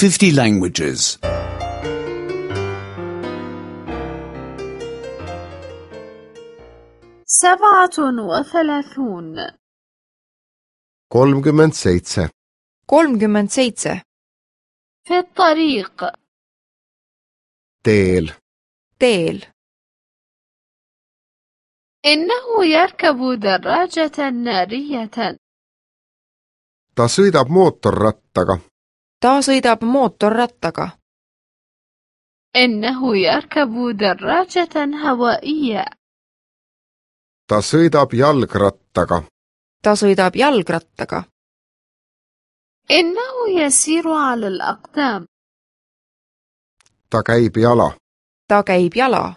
50 languages. 37 37 37 في الطريق teel teel إنه يركب دراجة نارية ta sõidab mootorrattaga ta sõidab mootorrattaga إنه يركب دراجة هوائية ta sõidab jalgrattaga ta sõidab jalgrattaga إنه يسير على الأقدام ta käib jala ta käib jala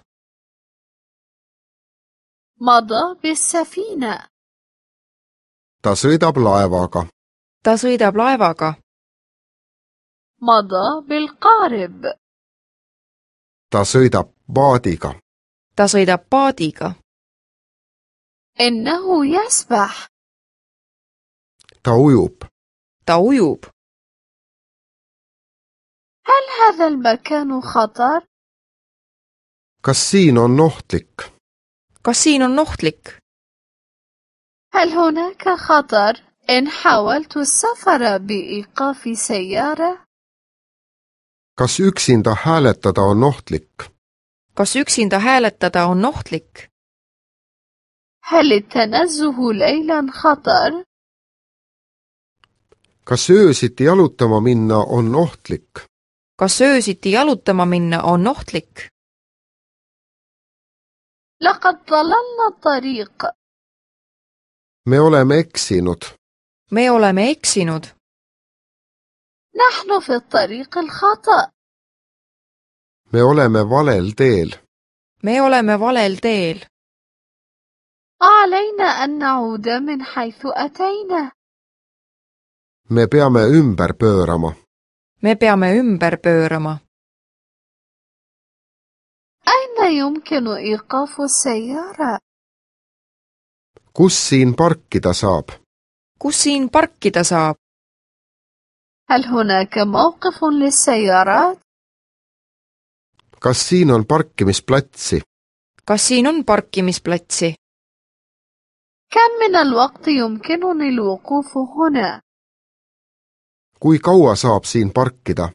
مضى بالسفينة ta sõidab laevaga ta sõidab laevaga مضى بالقارب ta sõidab paadiga ta sõidab paadiga إنه يسبح ta ujub ta ujub هل هذا المكان خطر؟ kas siin on ohtlik kas siin on ohtlik هل هناك خطر إن حاولت السفر بإيقاف سيارة؟ kas üksinda hääletada on ohtlik kas üksinda hääletada on ohtlik هل التنزه ليلا خطر؟ kas öösiti jalutama minna on ohtlik kas öösiti jalutama minna on ohtlik لقد ضللنا الطريق me oleme eksinud me oleme eksinud نحن في الطريق الخطأ me oleme valel teel me oleme valel teel علينا أن نعود من حيث أتينا me peame ümber pöörama me peame ümber pöörama أين يمكن إيقاف السيارة؟ kus siin parkida saab kus siin parkida saab هل هناك موقف للسيارات؟ kas siin on parkimisplatsi kas siin on parkimisplatsi كم من الوقت يمكنني الوقوف هنا؟ kui kaua saab siin parkida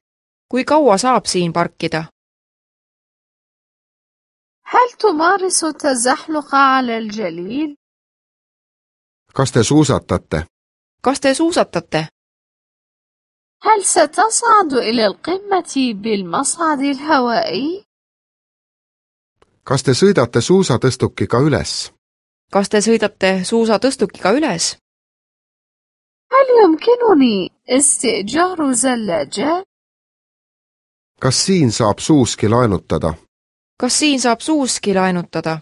kui kaua saab siin parkida هل تمارس التزحلق على الجليد؟ kas te suusatate kas te suusatate هل ستصعد إلى القمة بالمصعد الهوائي؟ kas te sõidate suusatõstukiga üles kas te sõidate suusatõstukiga üles هل يمكنني استئجار زلاجة؟ kas siin saab suuski laenutada kas siin saab suuski laenutada